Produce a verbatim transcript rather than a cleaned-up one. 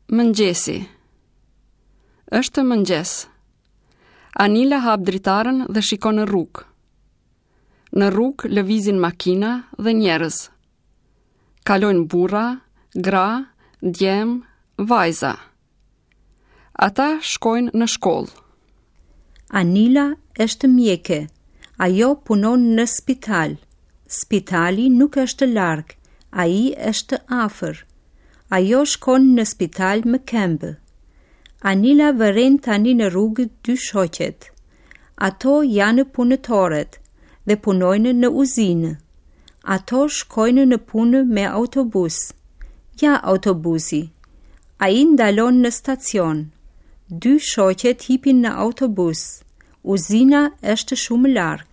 Mëngjesi. Është mëngjes. Anila hap dritaren dhe shikon në rrugë. Në rrugë lëvizin makina dhe njerëz. Kalojnë burra, gra, djem, vajza. Ata shkojnë në shkollë. Anila është mjeke. Ajo punon në spital. Spitali nuk është larg, ai është afër. Ajo shkon në spital me këmbë. Anila vëren tani në rrugë dy shoqet. Ato janë punëtoret dhe punojnë në uzinë. Ato shkojnë në punë me autobus. Ja autobusi. Ai ndalon në stacion. Dy shoqet hipin në autobus. Uzina është shumë larg.